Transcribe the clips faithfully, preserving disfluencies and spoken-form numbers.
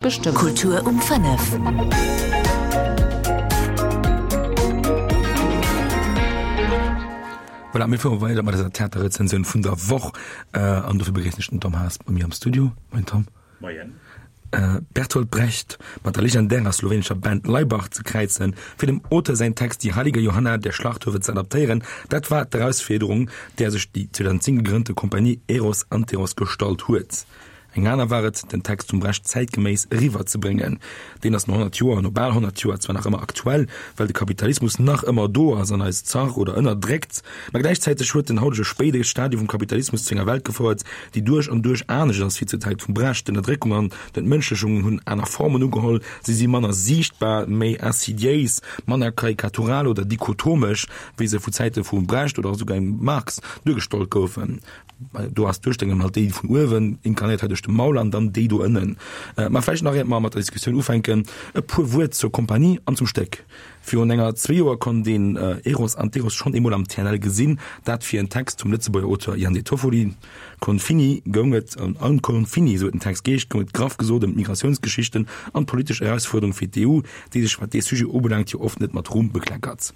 Bestëmmen. Kultur um fënnef. Voilà, mir fuere weider mat eiser Theaterrezensioun vun der Woch. An dofir begréissen ech den Tom Haas bei mir am Studio. Moien Tom. Moien. Bertolt Brecht mat der legendärer slowenescher Band Laibach ze kräizen, fir dem Auteur säin Text Die heilige Johanna der Schlachthöfe ze adaptéieren, dat war d'Erausfuerderung, där sech déi zweitausendzéng gegrënnte Kompanie Eros Anteros gestallt huet. Eng aner war et, den Text vum Brecht zäitgeméiss eriwwer ze bréngen. Deen ass no honnert Joer, no bal honnert Joer zwar nach ëmmer aktuell, well de Kapitalismus nach ëmmer do ass an eis zach oder ënnerdréckt, mä gläichzäiteg huet den hautege spéide Stadium vum Kapitalismus zu enger Welt gefouert, déi duerch an duerch anescht ass wéi zur Zäit vum Brecht. D'Ënnerdréckung an d'Entmënschlechungen hunn aner Formen ugeholl, si si manner siichtbar, méi insidiéis, manner karikatural oder dichotomesch, wéi se vu Zäite vum Brecht oder esouguer engem Marx duergestallt goufen. Do ass d'Duerstellung halt déi vun uewen, inkarnéiert hei duerch de Maul, an dann déi do ënnen. Mä vläicht nach, iert mer mat der Diskussioun ufänken, e puer Wuert zur Kompanie an zum Stéck. Virun enger zwee Joer konnt een Eros Anteros schonn eemol am T N L gesinn, dat fir en Text vum Lëtzebuerger Auteur Ian De Toffoli. Confini goung et, an Confini, esou huet den Text geheescht, goung et graff gesot ëm d'Migratiounsgeschichten an d'politesch Erausfuerderung fir d'E U, déi sech, wat dee Sujet ubelaangt, jo oft net mat Ruhm bekleckert.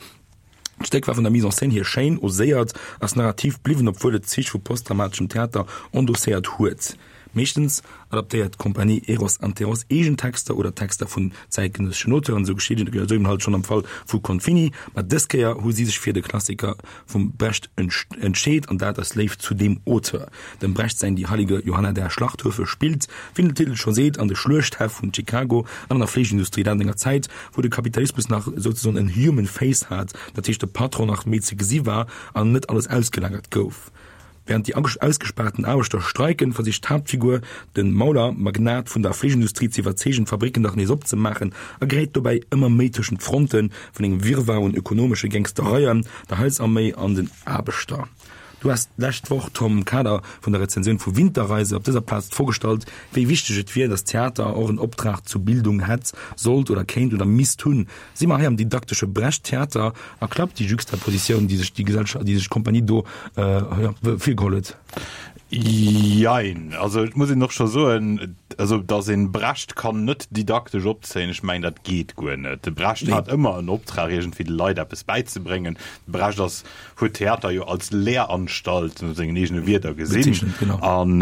D'Stéck war vun der Mise en scène hier schéin, oséiert, ass narrativ bliwwen, obwuel et Zich vu postdramateschem Theater endosséiert huet. Meeschtens adaptéiert d'Compagnie Eros Anteros eegen Texter oder Texter vun zäitgenësseschen Auteuren, esou geschitt et eben halt schonn am Fall vu Confini, ma dës Kéier hu si sech fir de Klassiker vum Brecht entscheet, an dat aus Léift zu deem Auteur. Dem Brecht säin Die heilige Johanna der Schlachthöfe spillt, wéi den Titel scho seet, an de Schluechthäff vun Chicago an an der Fleeschindustrie, dat an enger Zäit, wou de Kapitalismus nach souzesoen en human face hat, dat heescht de Patron nach méi ze gesi war an net alles ausgelagert gouf. Während déi ausgespaarten Aarbechter streiken, versicht d'Haaptfigur, de Mauler, Magnat vun der Fleeschindustrie ze iwwerzeegen, d'Fabricken dach nees opzemaachen a geréit dobäi ëmmer méi tëschent d'Fronte vun engem Wirrwarr un ökonomesche Gangstereien, der Heilsarméi an den Aarbechter. Du has d'lescht Woch, Tom, am Kader vun der Rezensioun vu Winterreise op dëser Plaz d'Fro gestallt, wéi wichteg et wier, datt Theater och en Optrag zur Bildung hätt, sollt oder kéint oder misst hunn. Si mer hei am didaktesche Brecht-Theater a klappt déi Juxtapositioun, déi sech déi Gesellschaft, déi sech d'Kompanie do virgeholl huet? Jein. Also et muss een och scho soen, also datt een Brecht kann net didaktesch opzéien, ech mengen dat geet guer net. De Brecht hat ëmmer en Optrag iergendwéi de Leit eppes bäizebréngen. De Brecht ass, huet Theater jo als Lehranstalt, no sengen eegene Wierder, gesinn. An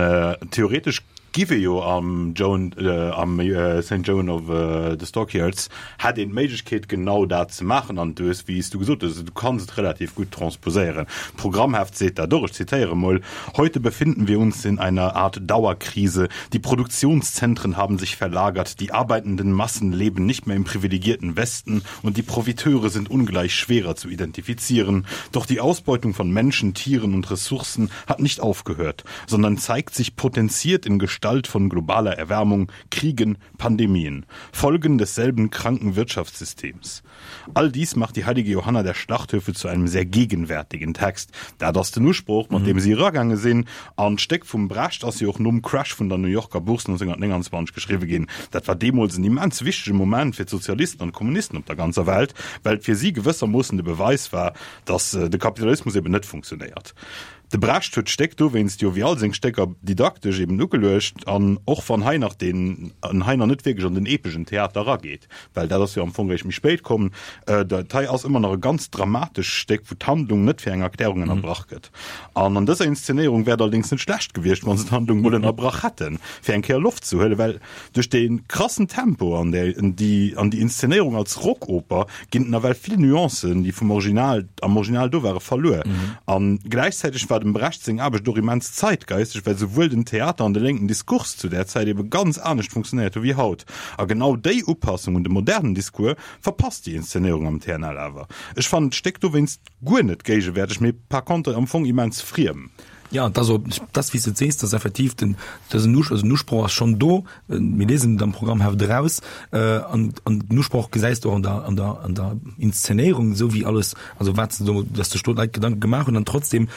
theoretesch giff ee jo am Joan, am Saint Joan of the Stockyards hätt een d'Méiglechkeet genau dat ze maachen. An du hues, wéi s du gesot hues, du kanns et relativ gutt transposéieren. D'Programmheft seet dat och, ech zitéiere mol, Heute befinden wir uns in einer Art Dauerkrise. Die Produktionszentren haben sich verlagert, die arbeitenden Massen leben nicht mehr im privilegierten Westen und die Profiteure sind ungleich schwerer zu identifizieren. Doch die Ausbeutung von Menschen, Tieren und Ressourcen hat nicht aufgehört, sondern zeigt sich potenziert in Gestalt von globaler Erwärmung, Kriegen, Pandemien, Folgen desselben kranken Wirtschaftssystems. All dies macht die heilige Johanna der Schlachthöfe zu einem sehr gegenwärtigen Text. Dat ass den Usproch, mat deem si eragaange sinn. An d'Stéck vum Brecht ass jo och nom Crash vun der New Yorker Bourse neunzehnhundertneunundzwanzeg geschriwwe ginn. Dat war deemools en immens wichtege Moment fir d'Sozialisten an d'Kommunisten op der ganzer Welt, well et fir si gewëssermoossen de Beweis war, datt de Kapitalismus eben net funktionéiert. De Brecht huet d'Stéck dowéinst jo wéi all seng Stécker didaktesch eben ugeluecht, an och wann hei nach deen en hei nach net wierklech an den epeschen Theater erageet, well dat ass jo am Fong eréischt méi spéit komm, dat hei ass ëmmer nach e ganz dramatesch Stéck, wou d'Handlung net fir eng Erklärung ënnerbrach gëtt. An an dëser Inszenéierung wär et allerdéngs net schlecht gewiescht, wa se d'Handlung mol ënnerbrach hätten, fir eng Kéier Loft ze huelen, well duerch dee krassen Tempo an déi an déi Inszenéierung als Rockoper ginn nawell vill Nuancen, déi vum Original am Original do ware, verluer. A gläichzäiteg war dem Brecht seng Aarbecht och immens zeitgeisteg, well souwuel den Theater an de lénken Diskurs zu där Zäit ebe ganz anescht funktionéiert hu wéi haut. A genau déi Upassung un de modernen Discours verpasst déi Inszenéierung am T N L awer. Ech fannen d'Stéck dowéinst guer net géigewäerteg, mee par contre am Fong immens friem. Jo, et ass och, dat wéi s de et sees, dass effektiv den, dësen Us, also den Usproch ass schonn do, mir liesen et am Programmheft eraus, an, an den Usproch gesäis de och an der, an der, an der Inszenéierung, esou wéi alles, also wat se do, dass sech do d'Leit Gedanke gemaach hunn an trotzdem,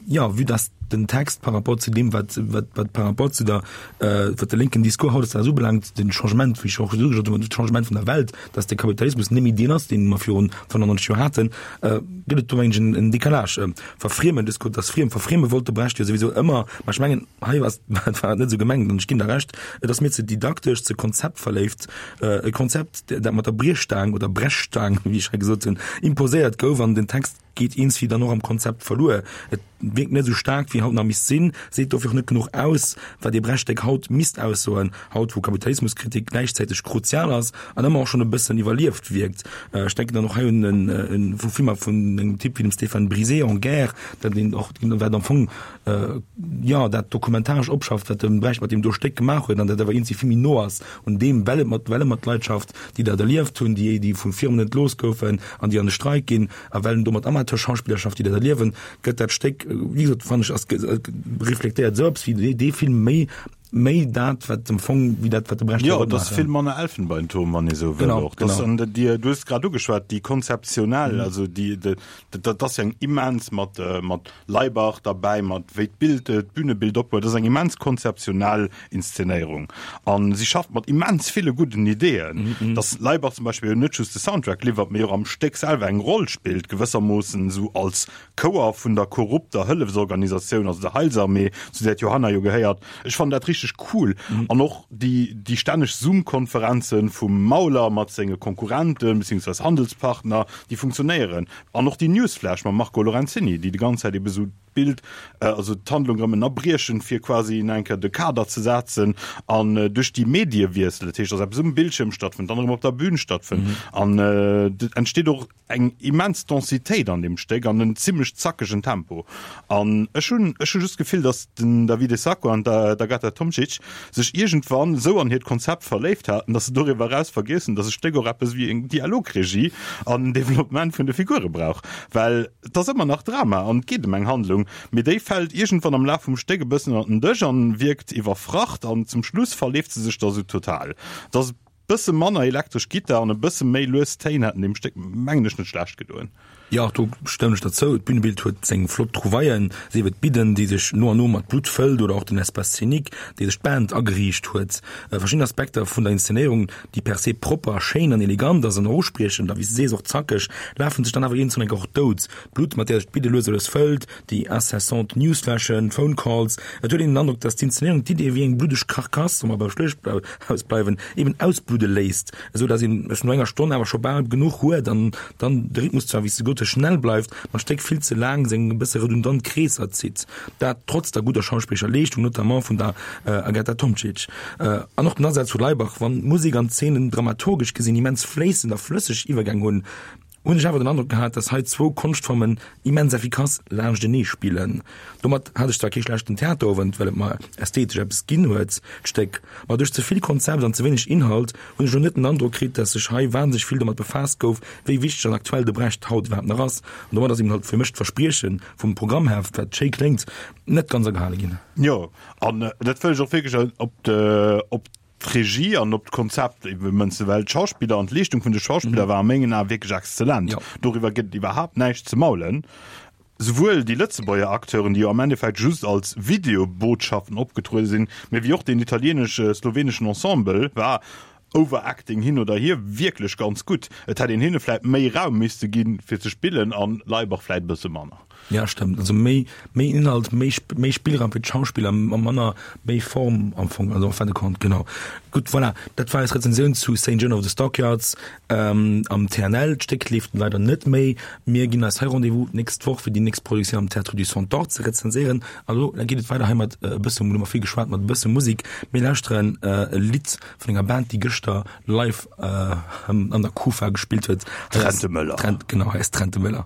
jo, vue dass den Text par rapport zu deem, wat, wat, wat par rapport zu der, äh, wat de linken Discours hautdesdaags ubelaangt, den Changement, wéi ech och gesot hunn, de Changement vun der Welt, dass de Kapitalismus net méi deen ass, deen mer virun fënnefannonzeg Joer haten, äh, gëtt et do mengen ech en, en Décalage. Äh, verfriemen, Discours, das Friem, verfrieme wollt de Brecht jo souwisou ëmmer, ma ech mengen, hei war war et net esou gemengt an ech ginn der Recht, et ass mir ze didaktesch, ze konzeptverléift, äh, e Konzept, dat mat der Briechstaang oder Brechstaang, wéi ech hei gesot hunn, imposéiert gouf an den Text geet iergendwéi dann och am Konzept verluer. Et wierkt net esou staark, wéi haut nach misst sinn, seet dofir och net genuch aus, wat ee Brecht-Stéck haut misst aussoen, haut wou Kapitalismuskritik gläichzäiteg kruzial ass an ëmmer och schonn e bëssen iwwerlieft wierkt. Ech denken dann och hei un en vu Filmer vun engem Typ wéi dem Stéphane Brizé, En guerre, dat een och, wat am Fong, jo, dat dokumentaresch opschafft, wat de Brecht mat deem do Stéck gemaach huet an dat awer iergendwéi vill méi no ass un deem, well et mat, well e mat Leit schafft, déi dat erlieft hunn, déi, déi vu Firmen entlooss goufen an déi an de Streik ginn, a well en do mat Amateurschauspiller schafft, déi dat erliewen, gëtt dat Stéck, wéi gesot, fannen ech, ass, reflektéiert esou eppes wéi dee Film méi, méi dat, wat am Fong, wéi dat, wat de Brecht Jo, et ass vill manner Elfenbeinturm, wann ee sou wëll Genau, och. Das, genau. an déi, du hues grad ugeschwat, déi konzeptionell, also déi, déi, dat ass jo eng immens mat, mat Laibach derbäi, mat wéi d'Bild, d'Bühnebild opbaut, dat ass eng immens konzeptionell Inszenéierung. A si schafft mat immens ville gudden Ideeën, dass Laibach zum Beispill jo net just de Soundtrack liwwert, mee och am Stéck selwer eng Roll spillt, gewëssermoossen esou als Chouer vun der korrupter Hëllefsorganisatioun, also der Heilsarmee, zu där d'Johanna jo gehéiert. Ech fannen dat richteg cool. An och déi, déi stänneg Zoom-Konferenzen vum Mauler mat senge Konkurrenten beziehungsweise Handelspartner, déi funktionéieren. An och déi Newsflash mam Marco Lorenzini, déi déi ganz Zäit ebe sou d'Bild, also d'Handlung erëm ënnerbriechen, fir quasi nach eng Kéier de Kader ze setzen an duerch déi Mediewiessel, dat heescht, dass eppes um Bildschierm stattfënnt, dann erëm op der Bühn stattfënnt an et entsteet och eng immens Densitéit an deem Stéck an en zimlech zackegen Tempo. An ech hunn, ech hu just d'Gefill, dass den Davide Sacco an d'Agata Tomčić sech iergendwann esou an hiert Konzept verléift haten, dass se doriwwer eraus vergiess hunn, dass e Stéck och eppes wéi eng Dialogregie an en Developpement vun de Figure brauch. Well et ass ëmmer nach Drama an et geet ëm eng Handlung, mee déi fält iergendwann am Laf vum Stéck e bëssen ënner den Dësch an wierkt iwwerfracht an zum Schluss verleeft se sech da sou total. Et ass e bësse manner elektresch Gittar an e bësse méi lues Téin hätten deem Stéck, mengen ech, net schlecht gedoen. Jo, do stëmmen ech der zou. D'Bühnebild huet seng flott Trouvaillen, sief et d'Bidden, déi sech no an no mat Blutt fëllt oder och den Espace scénique, dee sech d'Band ageriicht huet. Verschidden Aspekter vun der Inszenéierung, déi per se propper, schéin an elegant ass an och uspriechend a wéi s de sees och zackeg, lafen sech dann awer iergendwann enk och dout. D'Blutt, mat där sech d'Bidde lues a lues fëllt, déi incessant Newsflashen, Phone Calls, et huet een den Androck, dass d'Inszenéierung d'Idee wéi eng bluddeg Karkass, wa mer beim Schluechthaus bleiwen, eben ausbludde léisst, esou dass een es no enger Stonn awer scho bal genuch huet an dann de Rhythmus zwar, wéi s de gesot hues, schnell bleift, ma d'Stéck vill ze laang seng e bësse redundant Kreesser zitt. Dat trotz der gudder schauspillerescher Leeschtung, notamment vun der Agata Tomčić. An och den Asaz vu Laibach, wann d'Musek an d'Zeenen dramaturgesch gesinn immens fléissend a flësseg Iwwergäng hunn, hunn ech awer den Androck gehat, dass hei zwou Konschtformen immens effikass laanschtenee spillen. Domat hat ech zwar kee schlechten Theaterowend, well et mer ästhetesch eppes ginn huet, d'Stéck, ma duerch ze vill Konzept an ze wéineg Inhalt hunn ech elo net den Androck kritt, dass sech hei wahnsinneg vill domat befaasst gouf, wéi wichteg an aktuell de Brecht haut iwwerhaapt nach ass. An domat ass eben halt fir mech d'Versprieche vum Programmheft, wat schéi kléngt, net ganz agehale ginn. Jo, an dat wëll ech och wierklech op op d'Regie an op d'Konzept ebe mënzen, well d'Schauspiller an d'Leeschtung vun de Schauspiller war a mengen Ae wierklech exzellent. Jo. Doriwwer gëtt et iwwerhaapt näischt ze maulen. Souwuel déi Lëtzebuerger Acteuren, déi jo am Endeffekt just als Videobotschaften opgetruede sinn, mee wéi och deen italieenesch-sloweneschen Ensemble war, Overacting hin oder hier, wierklech ganz gutt. Et hätt een hinne vläit méi Raum misste ginn, fir ze spillen, an Laibach vläit e bësse manner. Ja, stëmmt. Also méi, méi Inhalt, méi, méi Spillraum fir d'Schauspiller a manner, méi Form am Fong, also en fin de compte, genau. Gutt, voilà, dat war eis Rezensioun zu Saint Joan of the Stockyards am T N L. D'Stéck leeft leider net méi. Mir ginn eis hei Rendez-vous d'nächst Woch, fir déi nächst Produktioun am Théâtre du Centaure ze rezenséieren. An elo geet et weider hei mat e bësse, elo hu mer vill geschwat, mat e bësse Musek. Mir lauschteren e Lidd vun enger Band, déi gëschter live an der Kufa gespillt huet. Trente Möller. Trent, genau, hei ass Trente Möller.